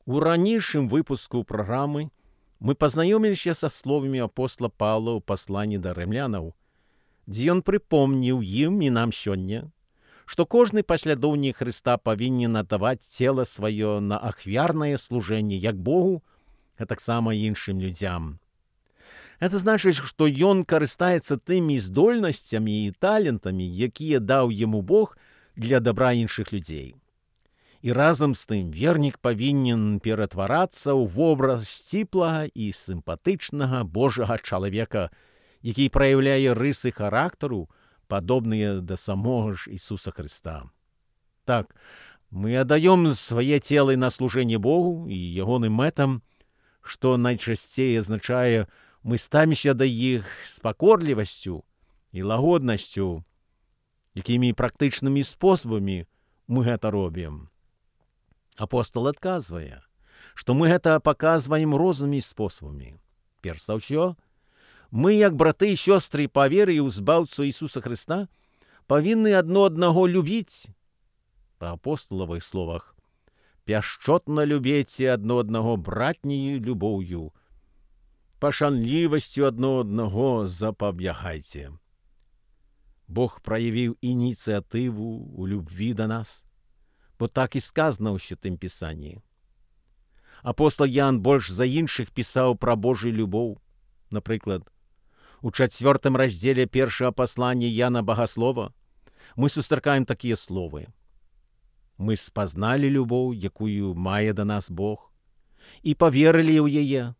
У ранейшым выпуску праграмы мы пазнаёміліся са словамі апостола Паўла ў пасланні да рымлянаў, дзе ён прыпомніў ім і нам сёння, што кожны паслядоўнік Хрыста павінен аддаваць цела сваё на ахвярнае служэнне як Богу, а таксама іншым людзям. Это значыць, што ён карыстаецца тымі здольнасцямі і талентамі, якія даў яму Бог для дабра іншых людзей. І разам з тым вернік павінен ператварацца ў вобраз сціплага і сімпатычнага Божага чалавека, які праяўляе рысы характару, падобныя да самога ж Ісуса Хрыста. Так, мы аддаём свае целы на служэнне Богу і ягоным мэтам, што найчасцей азначае, мы ставімся да іх з пакорлівасцю і лагоднасцю, якімі практычнымі спосабамі мы гэта робім. Апостол адказвае, што мы гэта паказваем рознымі спосабамі. Перш за ўсё, мы, як браты і сёстры па веры ў збаўцу Ісуса Хрыста, павінны адно аднаго любіць. Па апосталавых словах, пяшчотна любеце адно аднаго братняю любоўю, пашанлівасцю адно аднаго запабягайце. Бог праявіў ініцыятыву ў любві да нас, бо так і сказано ў Святым Пісанні. Апостол Ян больш за іншых пісаў пра Божую любоў. Напрыклад, у 4 раздзеле першага паслання Яна Багаслова мы сустракаем такія словы. Мы спазналі любоў, якую мае да нас Бог, і паверылі ў яе.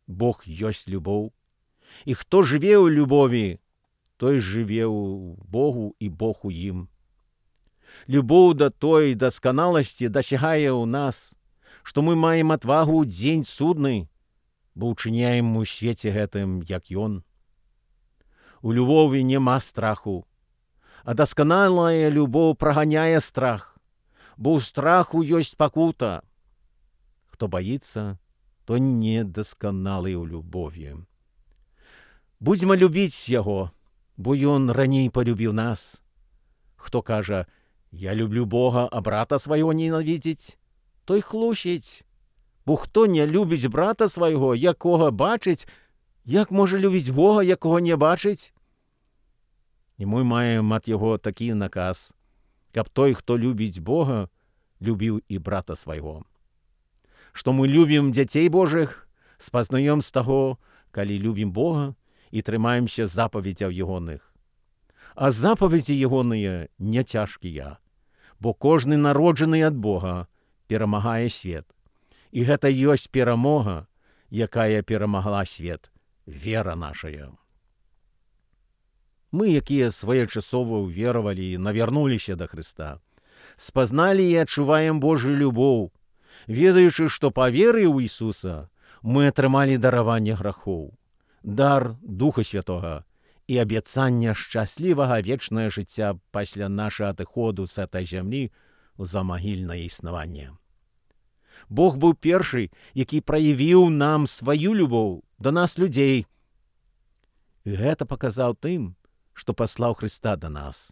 Бог ёсць любоў, і хто жыве ў любові, той жыве ў Богу і Бог у ім. Любоў да той дасканаласці дасягае ў нас, што мы маем адвагу ў дзень судны, бо ўчыняем у свеце гэтым, як ён. У любові няма страху, а дасканалая любоў праганяе страх, бо ў страху ёсць пакута. Хто баіцца, то недасканалы ў любові. Будзьма любіць яго, бо ён раней палюбіў нас. Хто кажа, я люблю Бога, а брата свайго ненавідзіць, той хлусіць. Бо хто не любіць брата свайго, якога бачыць, як можа любіць Бога, якога не бачыць? І мы маем ад яго такі наказ, каб той, хто любіць Бога, любіў і брата свайго. Што мы любім дзяцей Божых, спазнаём з таго, калі любім Бога і трымаемся запаведзяў ягоных. А запаведзі ягоныя не цяжкія, бо кожны народжаны ад Бога перамагае свет. І гэта ёсць перамога, якая перамагла свет, вера нашая. Мы, якія своечасова ўверавалі і навярнуліся да Хрыста, спазналі і адчуваем Божую любоў, ведаючы, што па веры ў Ісуса мы атрымалі дараванне грахоў, дар Духа Святога і абяцанне шчаслівага вечнае жыцця пасля нашага адыходу з этой зямлі ў замагільнае існаванне. Бог быў першы, які праявіў нам сваю любоў да нас людзей. І гэта паказаў тым, што паслаў Хрыста да нас,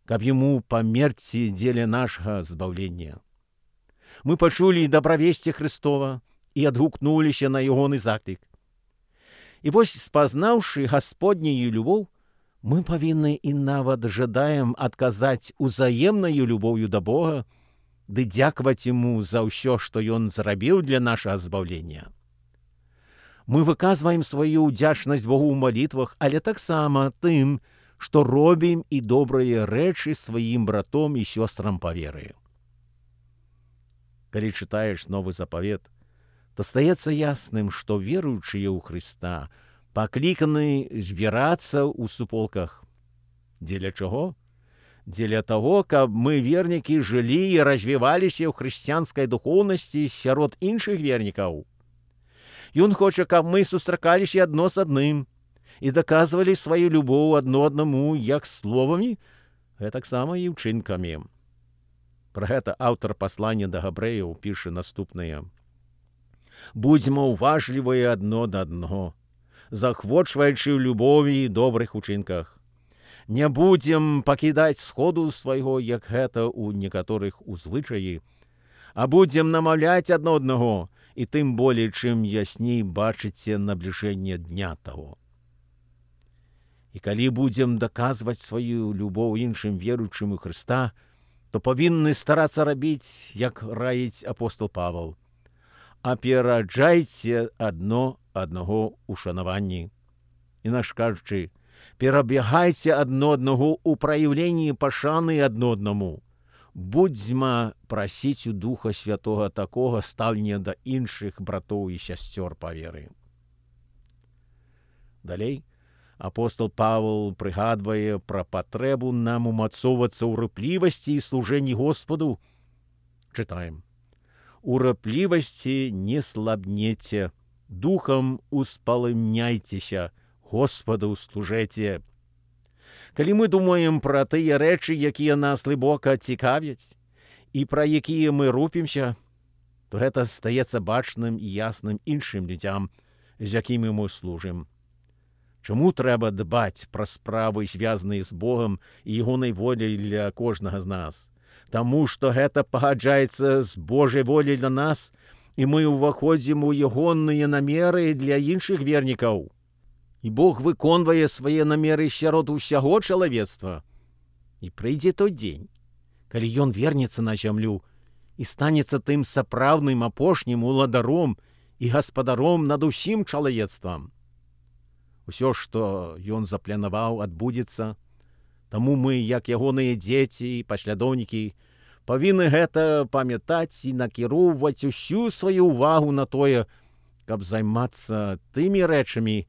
каб яму памерці дзеля нашага збаўлення. Мы пачулі дабравесце Хрыстова і адгукнуліся на ягоны заклік. І вось, спазнаўшы Гасподнюю любоў, мы павінны і нават жадаем адказаць узаемнаю любоўю да Бога ды дзякаваць яму за ўсё, што ён зрабіў для нашага збаўлення. Мы выказваем сваю ўдзячнасць Богу ў малітвах, але таксама тым, што робім і добрыя рэчы сваім братом і сёстрам па веры. Калі чытаеш Новы Запавет, то стаецца ясным, што веруючыя ў Хрыста пакліканы збірацца ў суполках. Дзеля чаго? Дзеля таго, каб мы, вернікі, жылі і развіваліся ў хрысціянскай духоўнасці сярод іншых вернікаў. Ён хоча, каб мы сустракаліся адно з адным і даказвалі сваю любоў адно аднаму як словамі, гэтаксама і ўчынкамі. Пра гэта аўтар паслання да габрэяў піша наступнае. Будзьма ўважлівыя адно да аднаго, захвочваючы ў любові і добрых учынках. Не будзем пакідаць сходу свайго, як гэта ў некаторых у звычаі, а будзем намаўляць адно аднаго, і тым болей, чым ясней бачыце набліжэнне дня таго. І калі будзем даказваць сваю любоў іншым веруючым у Хрыста, то павінны старацца рабіць, як раіць апостол Павел. Апераджайце адно аднаго ў шанаванні. Інакш кажучы, перабягайце адно аднаго ў праяўленні пашаны адно аднаму. Будзьма прасіць у Духа Святога такога стаўлення да іншых братоў і сясцёр па веры. Далей апостол Павел прыгадвае пра патрэбу нам умацоўвацца ў рыплівасці і служэнні Господу. Чытаем. У рыплівасці не слабнеце, духам успалымняйцеся, Господу служэце. Калі мы думаем пра тыя рэчы, якія нас глыбока цікавяць, і пра якія мы рупімся, то гэта стаецца бачным і ясным іншым людзям, з якімі мы служым. Чаму трэба дбаць пра справы, звязаныя з Богам і ягонай воляй для кожнага з нас? Таму што гэта пагаджаецца з Божай воляй для нас, і мы ўваходзім у ягоныя намеры для іншых вернікаў. І Бог выконвае свае намеры сярод усяго чалавецтва. І прыйдзе той дзень, калі ён вернецца на зямлю і станецца тым сапраўдным апошнім уладаром і гаспадаром над усім чалавецтвам. Усё, што ён запланаваў, адбудзецца, таму мы, як ягоныя дзеці і паслядоўнікі, павінны гэта памятаць і накіроўваць усю сваю ўвагу на тое, каб займацца тымі рэчамі,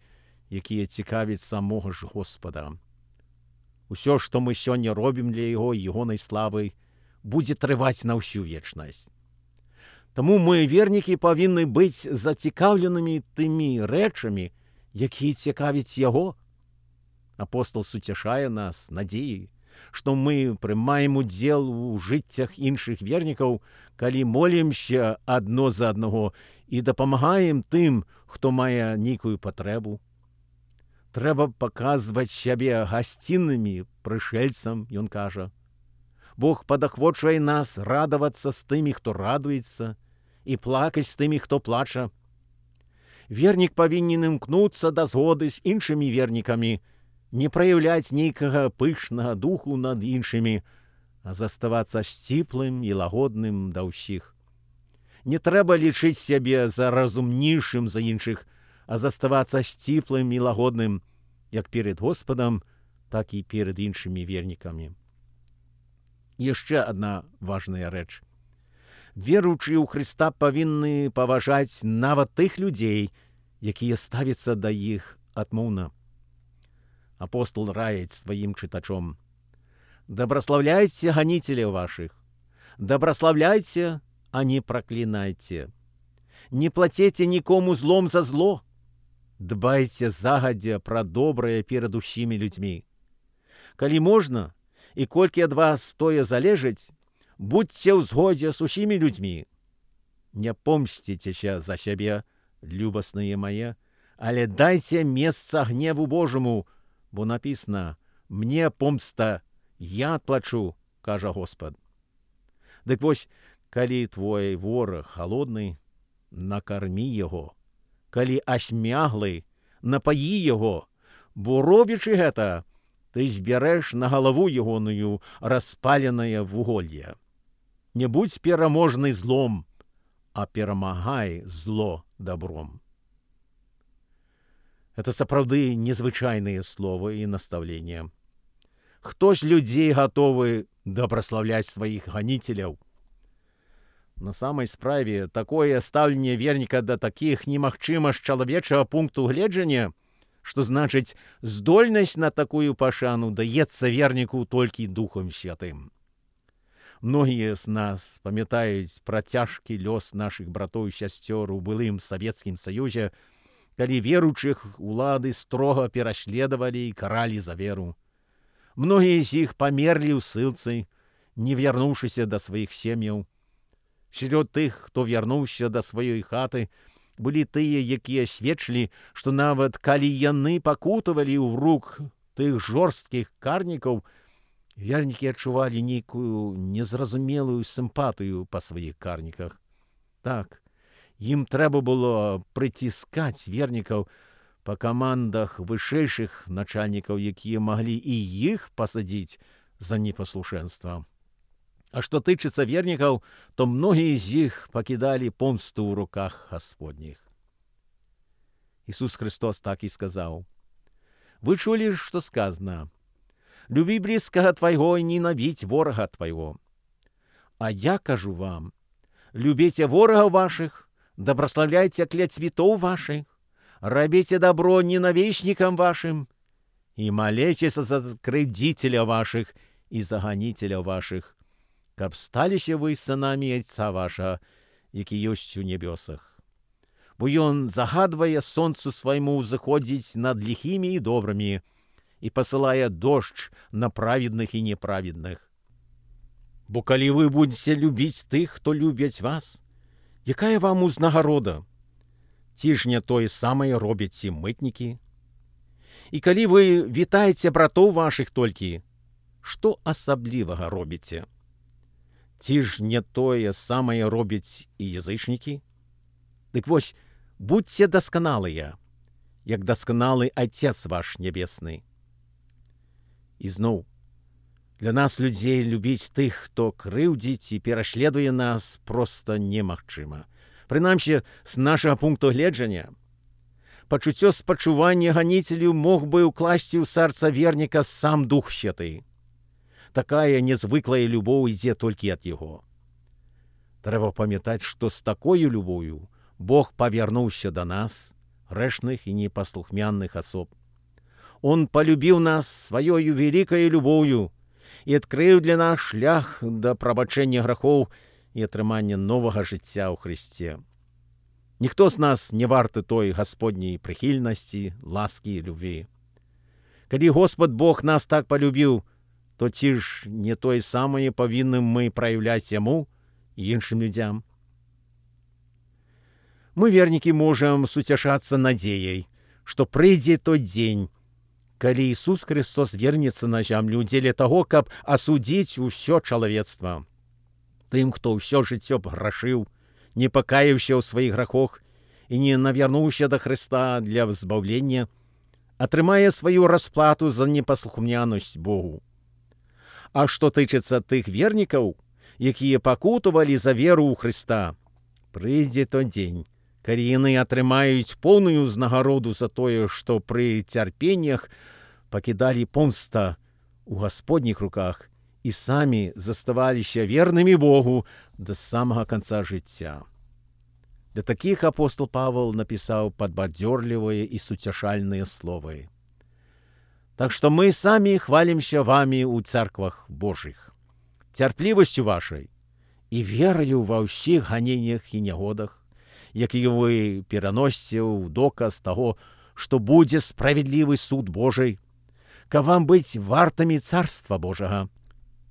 якія цікавяць самога ж Господа. Усё, што мы сёння робім для яго і ягонай славы, будзе трываць на ўсю вечнасць. Таму мы, вернікі, павінны быць зацікаўленымі тымі рэчамі, якія цікавяць яго. Апостол суцяшае нас надзеяй, што мы прымаем удзел у жыццях іншых вернікаў, калі молімся адно за аднаго і дапамагаем тым, хто мае нейкую патрэбу. Трэба паказваць сябе гасціннымі прышэльцам, ён кажа. Бог падахвочвае нас радавацца з тымі, хто радуецца, і плакаць з тымі, хто плача. Вернік павінен імкнуцца да згоды з іншымі вернікамі, не праяўляць нейкага пышнага духу над іншымі, а заставацца сціплым і лагодным да ўсіх. Не трэба лічыць сябе за разумнейшым за іншых, а заставацца сціплым і лагодным, як перед Господам, так і перед іншымі вернікамі. Яшчэ адна важная рэч. Веруючыя ў Хрыста павінны паважаць нават тых людзей, якія ставяцца да іх адмоўна. Апостол раіць сваім чытачом. Дабраслаўляйце ганіцеляў вашых, дабраслаўляйце, а не праклінайце. Не плацеце нікому злом за зло. Дбайце загадзя пра добрае перад усімі людзьмі. Калі можна, і колькі ад вас тое залежыць, будьце ў згодзе з усімі людзьмі. Не помсціцеся за сябе, любасныя мае, але дайце месца гневу Божаму, бо напісана: «Мне помста, я адплачу», кажа Господ. Дык вось, калі твой вораг халодны, накармі яго, калі асмяглы, напаі яго, бо робячы гэта, ты збярэш на галаву ягоную распаленае вуголле. Не будзь пераможны злом, а перамагай зло добром. Это сапраўды незвычайныя словы і настаўлення. Хто ж людзей гатовы дабраслаўляць сваіх ганіцеляў? На самай справе, такое стаўленне верніка да такіх немагчыма з чалавечага пункту гледжання, што значыць, здольнасць на такую пашану даецца верніку толькі Духам Святым. Многія з нас памятаюць пра цяжкі лёс нашых братоў і сясцёр у былым Савецкім Саюзе, калі веруючых улады строга пераследавалі і каралі за веру. Многія з іх памерлі ў ссылцы, не вярнуўшыся да сваіх сем'яў. Сярод тых, хто вярнуўся да сваёй хаты, былі тыя, якія сведчылі, што нават калі яны пакутавалі ў рук тых жорсткіх карнікаў, Вернікі адчувалі нейкую незразумелую сімпатыю па сваіх карніках. Так, ім трэба было прыціскаць вернікаў па камандах вышэйшых начальнікаў, якія маглі і іх пасадзіць за непаслушэнства. А што тычыцца вернікаў, то многія з іх пакідалі помсту ў руках Гасподніх. Ісус Христос так і сказаў: «Вы чулі, што сказано: люби близкого твайго і ненавидь ворога твайго. А я кажу вам: любите ворогов ваших, доброславляйте клятвітоў ваших, рабіце добро ненавистникам вашим и молитесь за кривдителя ваших и за гонителя ваших, каб сталіся вы сынамі Отца ваша, які ёсць у небёсах. Бо ён загадвае сонцу свайму заходзіць над лихімі і добрымі і пасылае дождж на праведных і неправедных. Бо калі вы будзеце любіць тых, хто любяць вас, якая вам узнагарода? Ці ж не тое самае робяць і мытнікі? І калі вы вітаеце братоў вашых толькі, што асаблівага робіце? Ці ж не тое самае робяць і язычнікі? Дык вось, будьце дасканалыя, як дасканалы Отец ваш небесны. І зноў, для нас, людзей, любіць тых, хто крыўдзіць і пераследуе нас, проста немагчыма. Прынамсі, з нашага пункту гледжання, пачуццё спачування ганіцелю мог бы ўкласці ў сэрца верніка сам Дух Святы. Такая незвыклая любоў ідзе толькі ад яго. Трэба памятаць, што з такою любов'ю Бог павярнуўся да нас, грэшных і непаслухмянных асоб. Он полюбіў нас сваёю великою любов'ю і адкрыў для нас шлях да прабачэння грахоў і атрымання новага жыцця ў Христе. Ніхто з нас не варты той Гасподняй прыхільнасці, ласкі і любві. Калі Господ Бог нас так полюбіў, то ці ж не тое самае павінным мы праяўляць яму і іншым людзям? Мы, вернікі, можам суцяшацца надзеяй, што прыйдзе той дзень, калі Ісус Христос вернецца на зямлю дзеля таго, каб асудзіць усё чалавецтва. Тым, хто ўсё жыццё грашыў, не пакаяўся ў сваіх грахах і не навярнуўся да Христа для збаўлення, атрымае сваю расплату за непаслухмянасць Богу. А што тычыцца тых вернікаў, якія пакутавалі за веру ў Христа, прыйдзе той дзень, калі яны атрымаюць поўную ўзнагароду за тое, што пры цярпеннях пакідалі помста ў Гасподніх руках і самі заставаліся вернымі Богу да самага канца жыцця. Для такіх апостол Павел напісаў падбадзёрлівыя і суцяшальныя словы. Так што мы самі хвалімся вамі ў царквах Божых, цярплівасцю вашай і вераю ва ўсіх ганеннях і нягодах, якія вы пераносіце ў доказ таго, што будзе справядлівы суд Божий, каб вам быць вартамі Царства Божага,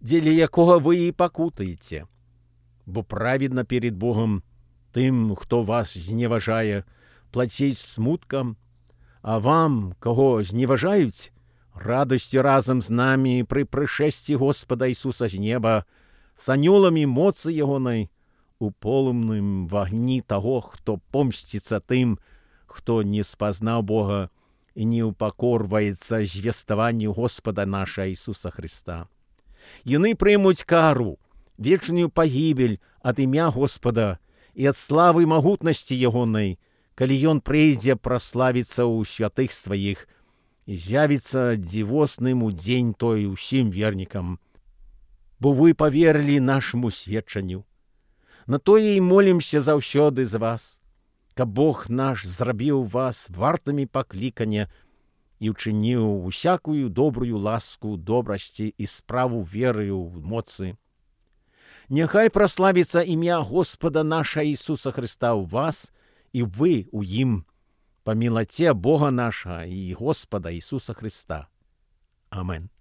дзеля якога вы і пакутаеце. Бо праведна перед Богом тым, хто вас зневажае, плаціць смуткам, а вам, каго зневажаюць, радасцю разам з намі пры прышэсці Господа Ісуса з неба, з анёламі моцы ягонай, у полымным вагні таго, хто помсціцца тым, хто не спазнаў Бога і не упакорваецца звеставанню Господа наша Ісуса Христа. Яны прымуць кару, вечную пагібель ад імя Господа і ад славы магутнасці ягонай, калі ён прыйдзе праславіцца ў святых сваіх і з'явіцца дзівосным у дзень той усім вернікам. Бо вы паверылі нашаму сведчанню. На тое і молімся заўсёды за вас, каб Бог наш зрабіў вас вартымі паклікання і ўчыніў усякую добрую ласку, добрасці і справу веры ў моцы. Няхай праславіцца імя Господа наша Ісуса Христа ў вас і вы ў ім, па мілаце Бога наша і Господа Ісуса Христа. Амен.